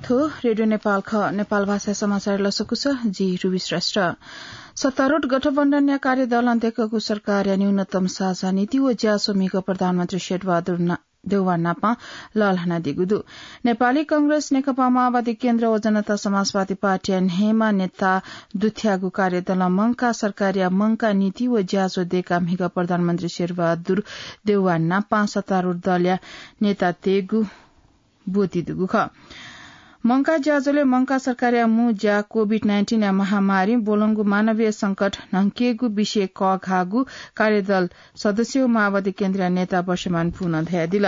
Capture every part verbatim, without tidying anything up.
थ्व रेडियो नेपाल खः। नेपाल भाषा समाचार लसकुस, जि रुबी श्रेष्ठ। सत्तारूढ गठबन्धनया कार्यदलं देकःगु सरकारया न्यूनतम साझा नीति व ज्याझ्वः म्हिगः प्रधानमन्त्री शेरबहादुर ना-, देउवा नापं लःल्हानादीगु दु। नेपाली कांग्रेस, नेकपा माओवादी केन्द्र व जनता समाजवादी पार्टीया न्हय्‌म्ह नेता दुथ्याःगु कार्यदलं मंकाः सरकारया मंकाः नीति व ज्याझ्वः देकाः म्हिगः प्रधानमन्त्री शेरबहादुर देउवा नापं सत्तारूढ दलया नेतातय्‌गु ब्वति दुगु खः। मंकाः ज्याझ्वलय् मंकाः सरकारया मू ज्या कोभिड नाइन्टिनया महामारीं ब्वलंगु मानवीय संकट न्हंकेगु विषय कःघाःगु कार्यदल सदस्य व माओवादी केन्द्रया नेता वर्षमान पुनं धयादिल।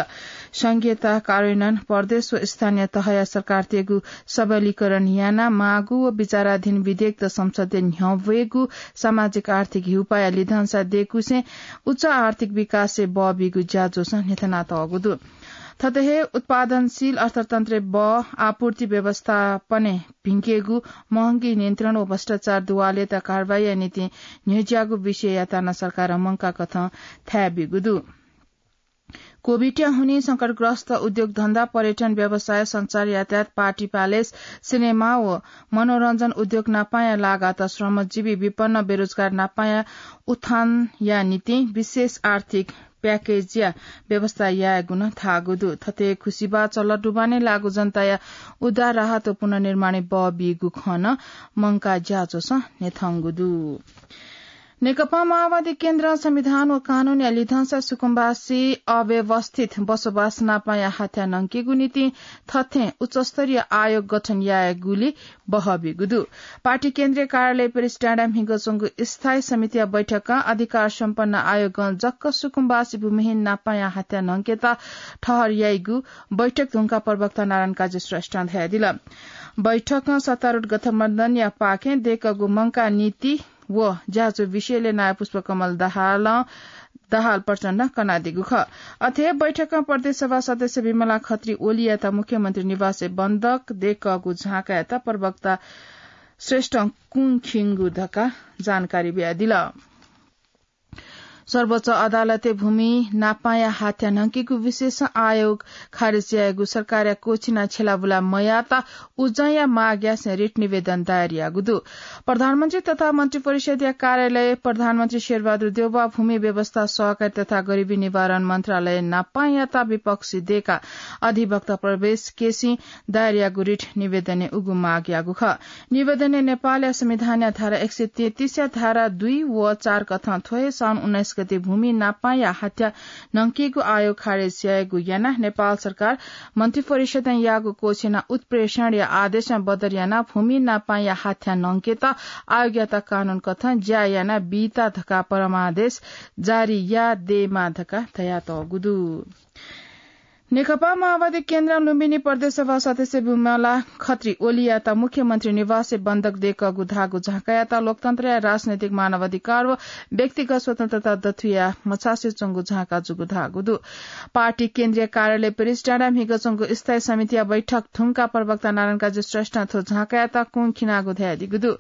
संघीयता कार्यान्वयन, प्रदेश व स्थानीय तहया सरकारतय्‌गु सबलीकरण यानाः माःगु व विचाराधीन विधेयकत संसदय् न्ह्यब्वयेगु सामाजिक आर्थिक हिउपाःया लिधंसा देकूसें उच्च आर्थिक विकासय् बः बीगु ज्याझ्वलं न्ह्यथनातःगु दु। थथे हे उत्पादनशील अर्थतन्त्रय् बः, आपूर्ति व्यवस्थापनय् भिंकेगु, महंगी नियन्त्रण व भ्रष्टाचार दुवालय्‌त कारवाहीया निंतिं न्ह्यज्याःगु विषययात नं सरकारं मंकाः कथं थाय् ब्यूगु दु। कोभिडया हुनिं संकटग्रस्त उद्योग धन्दा, पर्यटन व्यवसाय, संचार, यातायात, पार्टी प्यालेस, सिनेमा व मनोरञ्जन उद्योग नापांया लागात श्रमजीवी, विपन्न, बेरोजगार नापांया उत्थानया निंतिं विशेष आर्थिक प्याकेजया व्यवस्था यायेगु नं धाःगु दु। थथे खुसिबाः चल्ला दुबानय् लाःगु जनताया उद्धार, राहत व पुनर्निर्माणय् बः बीगु खँ नं मंकाः ज्याझ्वलं न्ह्यथंगु दु। नेकपा माओवादी केन्द्रं संविधान व कानूनया लिधंसा सुकुम्बासी अव्यवस्थित बसोबास नापांया हाथ्या न्हंकेगु निंतिं थथें उच्चस्तरीय आयोग गठन यायेगुली बहःबीगु दु। पार्टी केन्द्रीय कार्यालय प्रेस डाँडाय् म्हिगः च्वंगु स्थायी समितिया बैठकं अधिकार सम्पन्न आयोगं जक्क सुकुम्बासी भूमिहीन नापांया हाथ्या न्हंकेत ठहर याइगु बैठक धुंकाः प्रवक्ता नारायण काजी श्रेष्ठं धयादिल। बैठकं सत्तारूढ गठबन्धनया पाखें देकःगु मंकाः नीति व ज्याझ्वः विषयलय् नायः पुष्पकमल दाहालं दाहाल प्रचण्डं कनादीगु खः। अथे बैठकं प्रदेश सभा सदस्य विमला खत्री ओलीयात मुख्यमन्त्री निवासय् बन्दक देकःगु झाँकायात प्रवक्ता श्रेष्ठं कुंखिंगु धकाः जानकारी बियादिल। सर्वोच्च अदालतय् भूमि नापांया हाथ्या न्हंकेगु विशेष आयोग खारेज यायेगु सरकारया क्वःछिना छ्यलाबुला मयात उजंया माग यासें रिट निवेदन दायर याःगु दु। प्रधानमन्त्री तथा मन्त्रिपरिषद्या कार्यालय प्रधानमन्त्री शेरबहादुर देउवा, भूमि व्यवस्था, सहकारी तथा गरिबी निवारण मन्त्रालय नापांयात विपक्षी देकाः अधिवक्ता प्रवेश केसीं दायर याःगु रिट निवेदनय् उगु माग याःगु खः। निवेदनय् नेपालया संविधानया धारा एक सय तेत्तिसया धारा दुई व चार कथं थ्व हे साउन उन्नाइस गते भूमि नापांया हाथ्या न्हंकेगु आयोग खारेज यायेगु यानाः नेपाल सरकार मन्त्रिपरिषदं याःगु क्वःछिना उत्प्रेषणया आदेशं बदर यानाः भूमि नापांया हाथ्या न्हंकेत आयोगयात कानून कथं ज्या याना बीत धकाः परमादेश जारी यायेमाः धकाः धयातःगु दु। नेकपा माओवादी केन्द्रं लुम्बिनी प्रदेश सभा सदस्य विमला खत्री ओलीयात मुख्यमन्त्री निवासय् बन्दक देकःगु धाःगु झाँकायात लोकतन्त्रया राजनैतिक मानवाधिकार व व्यक्तिगत स्वतन्त्रता दथुया मछासे च्वंगु झाँका जूगु धाःगु दु। पार्टी केन्द्रीय कार्यालय प्रेस डाँडाय् म्हिगः च्वंगु स्थायी समितिया बैठक धुंकाः प्रवक्ता नारायण काजी श्रेष्ठं थ्व झाँकायात कुंखिनागु धयादीगु दु।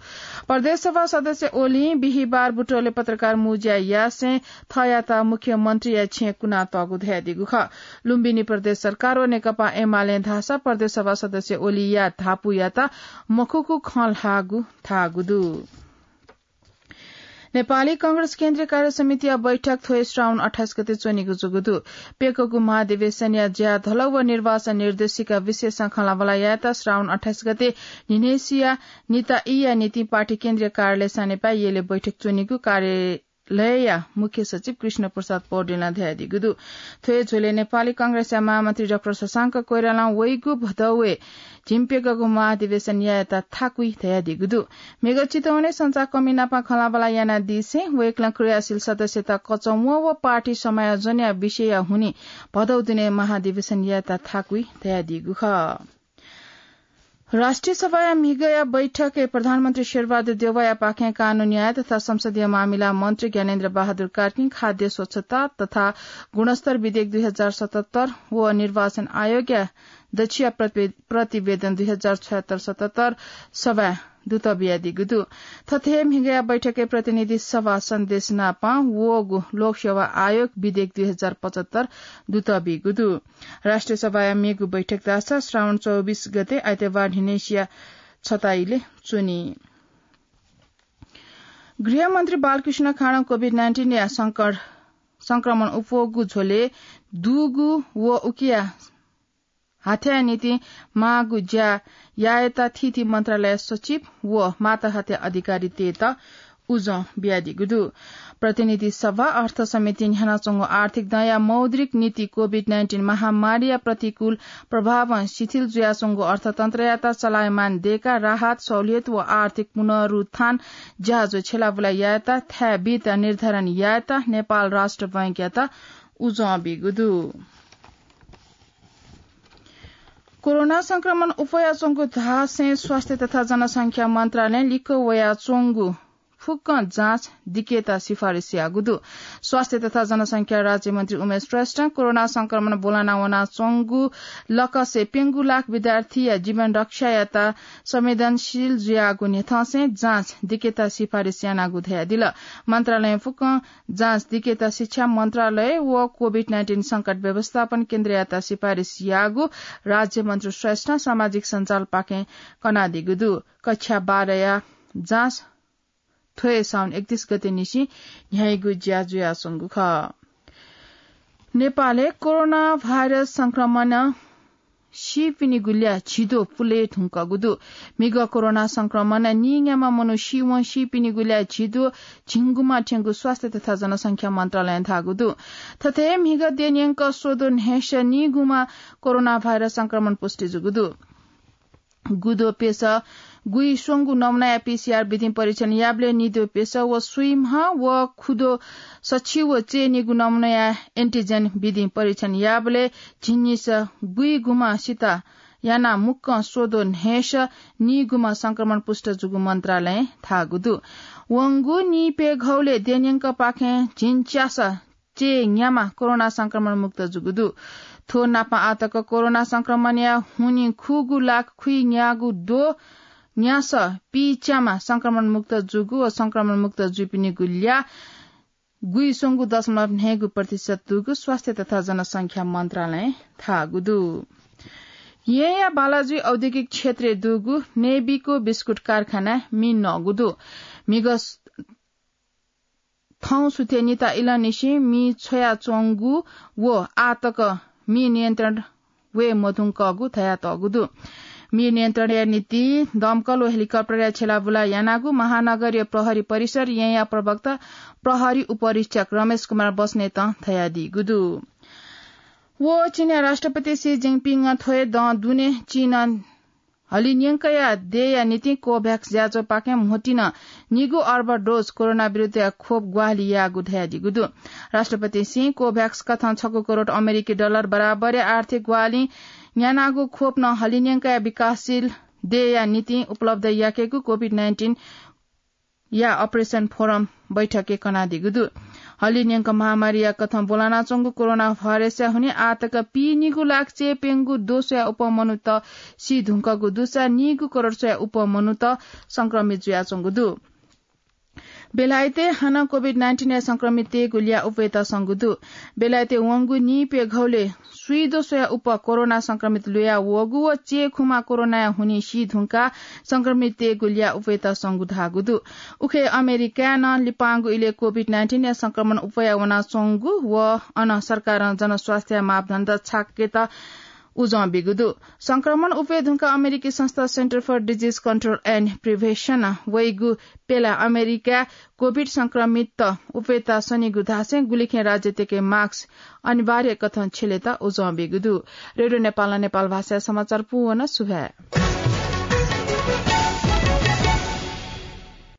प्रदेश सभा सदस्य ओलीं बिहिबार बुटवलय् पत्रकार मुँज्या यासें थःयात मुख्यमन्त्रीया छेँय् कुनातःगु धयादीगु खः। लुम्बिनी प्रदेश सरकार व नेकपा एमालें धाःसा प्रदेश सभा सदस्य ओलीया धापूयात मखुगु खँ ल्हाःगु धाःगु दु। नेपाली कांग्रेस केन्द्रीय कार्य समितिया बैठक थ्व हे श्रावण अट्ठाइस गते च्वनीगु जूगु दु। प्यकःगु महाधिवेशनया ज्या धलौ व निर्वाचन निर्देशिका विशेषं खँल्हाबल्हा यायेत श्रावण अट्ठाइस गते न्हिनय्‌सिया निता ईया निंतिं पार्टी केन्द्रीय कार्यालय सानेपाय् यलय् बैठक च्वनीगु कार्य लयया मुख्य सचिव कृष्ण प्रसाद पौडेलं धयादीगु दु। थ्व हे झ्वलय् नेपाली कांग्रेसया महामन्त्री डाक्टर शशांक कोइरालां वइगु भदौए झिंप्यकःगु महाधिवेशन यायेत थाकुइ धयादीगु दु। म्हिगः चितवनय् संचारकर्मी नाप खँल्हाबल्हा यानादीसें वय्‌कलं क्रियाशील सदस्यता कचंवं व पार्टी समायोजनया विषयया हुनिं भदौ दिनय् महाधिवेशन यायेत थाकुइ धयादीगु खः। राष्ट्रिय सभाया म्हिगःया बैठकय् प्रधानमन्त्री शेरबहादुर देउवायापाखें कानून न्याय तथा संसदीय मामिला मन्त्री ज्ञानेन्द्र बहादुर कार्कीं खाद्य स्वच्छता तथा गुणस्तर विधेयक दुई हजार सतहत्तर व निर्वाचन आयोगया दछिया प्रतिवेदन दुई हजार छयत्तर सतहत्तर सभा दुत बियादीगु दु। थथे म्हिगया बैठकय् प्रतिनिधि सभा सन्देश नापं वःगु लोकसेवा आयोग विधेयक दुई हजार पचहत्तर दुत बीगु दु। राष्ट्रिय सभाया मेगु बैठक धाःसा श्रावण चौबिस गते आइतबार न्हिनय्सिया छ ता इलय् च्वनी। गृहमन्त्री बालकृष्ण खाँडं COVID nineteen या संक्रमण उप्वःगु झ्वलय् दुगु व उकिया हाथ्याया निंतिं माःगु ज्या यायेत थीथी मन्त्रालय सचिव व माताहाथ्या अधिकारीतय्त उजं बियादीगु दु। प्रतिनिधि सभा, अर्थ समितिं न्ह्यानाच्वंगु आर्थिक दँया मौद्रिक नीति COVID nineteen महामारीया प्रतिकूल प्रभावं शिथिल जुयाच्वंगु अर्थतन्त्रयात चलायमान दयेकाः राहत, सहुलियत व आर्थिक पुनरुत्थान ज्याझ्वः छ्यलाबुला यायेत थाय् बीत निर्धारण यायेत नेपाल राष्ट्र बैंकयात उजं बीगु दु। कोरोना संक्रमण उप्वयाच्वंगु धासें स्वास्थ्य तथा जनसंख्या मन्त्रालयं लिक्क वयाच्वंगु फुक्क जाँच दिकेत सिफारिस याःगु दु। स्वास्थ्य तथा जनसंख्या राज्यमन्त्री उमेश श्रेष्ठं कोरोना संक्रमण ब्वलना वनाच्वंगु लकसे प्यंगू लाख विद्यार्थीया जीवन रक्षायात संवेदनशील जुयागु न्ह्यथंसें जाँच दिकेत सिफारिस यानागु धयादिल। मन्त्रालयं फुक्क जाँच दिकेत शिक्षा मन्त्रालय व COVID nineteen संकट व्यवस्थापन केन्द्रयात सिफारिस याःगु राज्यमन्त्री श्रेष्ठं सामाजिक सञ्जालपाखें कनादीगु दु। कक्षा बाह्रया जाँच थ्व हे साउन एकतीस गते निसें न्ह्याइगु ज्या जुयाच्वंगु खः। नेपालय् कोरोना भाइरस संक्रमणं सीपिनिगु ल्याः झिद्वः पुले धुंकूगु दु। म्हिगः कोरोना संक्रमणं नीन्याम्ह मनू सीवं सीपिनिगु ल्याः झिद्वः झिंगुम्ह थ्यंगु स्वास्थ्य तथा जनसंख्या मन्त्रालयं धाःगु दु। थथे म्हिगः देन्यंक स्वद्वः न्हय्स नीगुम्ह कोरोना भाइरस संक्रमण पुष्टि जूगु दु। गुद्वः प्यसः गुइस्वंगू नमुनाया PCR विधिं परीक्षण याःबलय् निद्वः प्यसः व स्वीम्ह व खुद्वः सछि व चय्‌नीगू नमुनाया antigen विधिं परीक्षण याःबलय् झिंनिसः गुइगुम्ह सित यानाः मुक्कं स्वद्वः न्हय्स नीगुम्ह संक्रमण पुष्ट जूगु मन्त्रालयं धाःगु दु। वंगु नीप्यघौलय् देन्यंकपाखें झिंच्यासः चय्‌न्याम्ह कोरोना संक्रमण मुक्त जूगु दु। थ्व नापं आःतक कोरोना संक्रमणया हुनिं खुगू लाख खुइन्यागू द्वः न्यासः पीच्याम्ह संक्रमण मुक्त जूगु व संक्रमण मुक्त जूपिनिगु ल्याः गुइस्वंगू दशमलव न्हय्गू प्रतिशत दुगु स्वास्थ्य तथा जनसंख्या मन्त्रालयं धाःगु दु। येँया बालाजुइ औद्योगिक क्षेत्रय् दुगु नेबिको बिस्कुट कारखानाय् मि नःगु दु। म्हिगः थौं सुथय् निता इलंनिसें मि छ्वयाच्वंगु व आःतक मि नियन्त्रण वये मधुंकःगु धयातःगु दु। मि नियन्त्रणया निंतिं दमकल व हेलिकप्टरया छ्यलाबुला यानागु महानगरीय प्रहरी परिसर येँया प्रवक्ता प्रहरी उपरीक्षक रमेश कुमार बस्नेतं धयादीगु दु। व चीनया राष्ट्रपति सी जिनपिंगं थ्व हे दँ दुने चीनं हलिंन्यंकया देय्‌या निंतिं कोभ्याक्स ज्याझ्वःपाखें म्होतिं निगू अर्ब डोज कोरोना विरुद्धया खोप ग्वाहालि याःगु धयादीगु दु। राष्ट्रपति सिं कोभ्याक्स कथं छगू करोड अमेरिकी डलर बराबरया आर्थिक ग्वाहालि न्यानागु खोप नं हलिंन्यंकया विकासशील देय्‌या निंतिं उपलब्ध याकेगु COVID nineteen या Operation Forum बैठकय् कनादीगु दु। हलिंन्यंक महामारीया कथं ब्वलनाच्वंगु कोरोना भाइरसया हुनिं आःतक पीनिगू लाख चय्‌प्यंगू द्वः स्वयाः उप्वः मनूत सी धुंकूगु दुसा नीगू करोड स्वयाः उप्वः मनूत संक्रमित जुयाच्वंगु दु। बेलायतय् हानं COVID nineteen या संक्रमिततय्‌गु ल्याः उप्वयेत संगु दु। बेलायतय् वंगु नीप्यघौलय् स्वीद्वः स्वयाः उप्वः कोरोना संक्रमित लुया वःगु व चय्‌खुम्ह कोरोनाया हुनिं सी धुंकाः संक्रमिततय्‌गु ल्याः उप्वयेत संगु धाःगु दु। उखे अमेरिकाय् नं लिपांगु इलय् COVID nineteen या संक्रमण उप्वया वनाच्वंगु व अन सरकारं जनस्वास्थ्य मापदण्ड छाकेत उजं बीगु दु। संक्रमण उप्वये धुंकाः अमेरिकी संस्था Center for Disease Control and Prevention वइगु प्यला अमेरिकाय् COVID संक्रमित उप्वयेत सनीगु धासें गुलिखें राज्यतय्‌के मास्क अनिवार्य कथं छ्यलेत उजं बीगु दु। रेडियो नेपालं नेपाल भाषाया समाचार पूवन। सुभाय्।